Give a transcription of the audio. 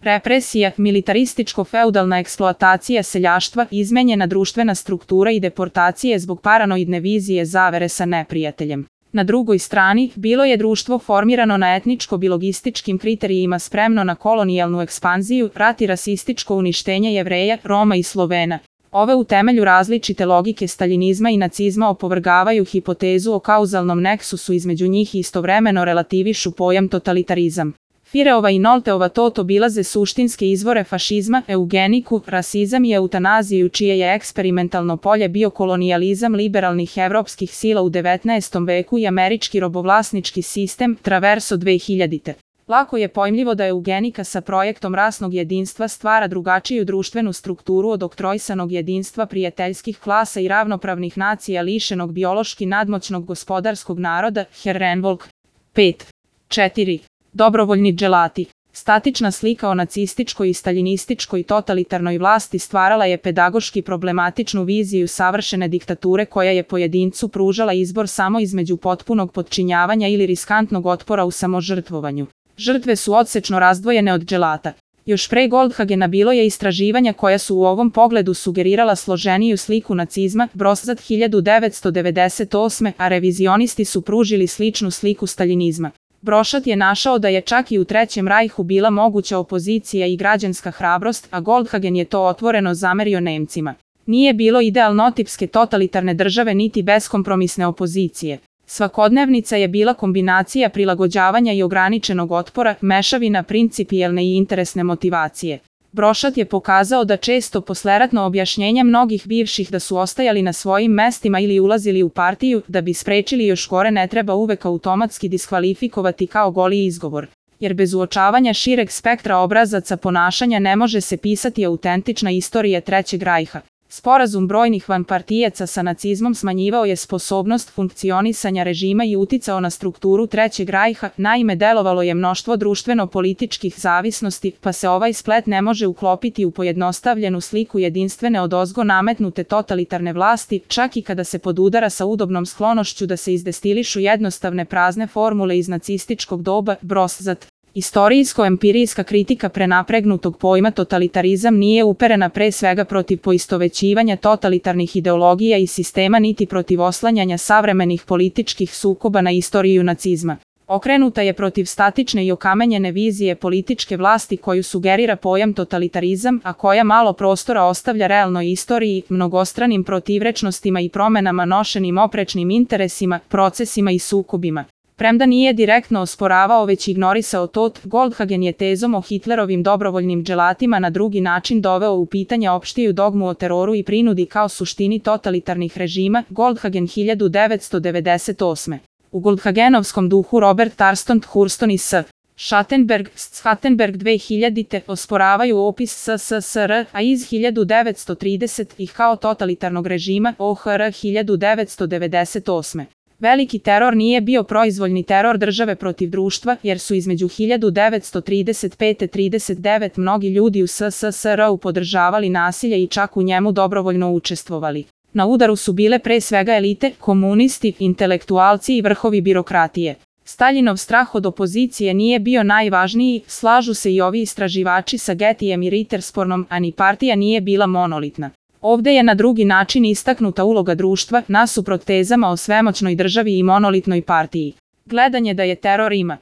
represija, militarističko-feudalna eksploatacija seljaštva, izmenjena društvena struktura i deportacije zbog paranoidne vizije zavere sa neprijateljem. Na drugoj strani, bilo je društvo formirano na etničko-biologističkim kriterijima spremno na kolonijalnu ekspanziju, rat i rasističko uništenje Jevreja, Roma i Slovena. Ove u temelju različite logike staljinizma i nacizma opovrgavaju hipotezu o kauzalnom neksusu između njih i istovremeno relativišu pojam totalitarizam. Fireova i Nolteova tot obilaze suštinske izvore fašizma, eugeniku, rasizam i eutanaziju čije je eksperimentalno polje bio kolonijalizam liberalnih evropskih sila u 19. veku i američki robovlasnički sistem, Traverso 2000. Lako je pojmljivo da eugenika sa projektom rasnog jedinstva stvara drugačiju društvenu strukturu od oktroisanog jedinstva prijateljskih klasa i ravnopravnih nacija lišenog biološki nadmoćnog gospodarskog naroda, Herrenvolk. 5. 4. Dobrovoljni dželati. Statična slika o nacističkoj i staljinističkoj totalitarnoj vlasti stvarala je pedagoški problematičnu viziju savršene diktature koja je pojedincu pružala izbor samo između potpunog potčinjavanja ili riskantnog otpora u samožrtvovanju. Žrtve su odsečno razdvojene od dželata. Još pre Goldhagena bilo je istraživanja koja su u ovom pogledu sugerirala složeniju sliku nacizma, Broszat 1998, a revizionisti su pružili sličnu sliku staljinizma. Broszat je našao da je čak i u Trećem rajhu bila moguća opozicija i građanska hrabrost, a Goldhagen je to otvoreno zamerio Nemcima. Nije bilo idealnotipske totalitarne države niti beskompromisne opozicije. Svakodnevnica je bila kombinacija prilagođavanja i ograničenog otpora, mešavina principijelne i interesne motivacije. Broszat je pokazao da često posleratno objašnjenja mnogih bivših da su ostajali na svojim mestima ili ulazili u partiju, da bi sprečili još gore ne treba uvek automatski diskvalifikovati kao goli izgovor. Jer bez uočavanja šireg spektra obrazaca ponašanja ne može se pisati autentična istorija Trećeg rajha. Sporazum brojnih vanpartijaca sa nacizmom smanjivao je sposobnost funkcionisanja režima i uticao na strukturu Trećeg rajha, naime delovalo je mnoštvo društveno-političkih zavisnosti, pa se ovaj splet ne može uklopiti u pojednostavljenu sliku jedinstvene odozgo nametnute totalitarne vlasti, čak i kada se podudara sa udobnom sklonošću da se izdestilišu jednostavne prazne formule iz nacističkog doba, Broszat. Istorijsko-empirijska kritika prenapregnutog pojma totalitarizam nije uperena pre svega protiv poistovećivanja totalitarnih ideologija i sistema niti protiv oslanjanja savremenih političkih sukoba na istoriju nacizma. Okrenuta je protiv statične i okamenjene vizije političke vlasti koju sugerira pojam totalitarizam, a koja malo prostora ostavlja realnoj istoriji, mnogostranim protivrečnostima i promenama nošenim oprečnim interesima, procesima i sukobima. Premda nije direktno osporavao već ignorisao tot, Goldhagen je tezom o Hitlerovim dobrovoljnim dželatima na drugi način doveo u pitanje opštiju dogmu o teroru i prinudi kao suštini totalitarnih režima, Goldhagen 1998. U Goldhagenovskom duhu Robert Tarston Thurston i S. Schattenberg 2000. osporavaju opis SSSR, a iz 1930 ih kao totalitarnog režima OHR 1998. Veliki teror nije bio proizvoljni teror države protiv društva, jer su između 1935-39 mnogi ljudi u SSSR-u podržavali nasilje i čak u njemu dobrovoljno učestvovali. Na udaru su bile pre svega elite, komunisti, intelektualci i vrhovi birokratije. Staljinov strah od opozicije nije bio najvažniji, slažu se i ovi istraživači sa Gettyjem i Ritterspornom, a ni partija nije bila monolitna. Ovde je na drugi način istaknuta uloga društva, nasuprot tezama o svemoćnoj državi i monolitnoj partiji. Gledanje da je teror ima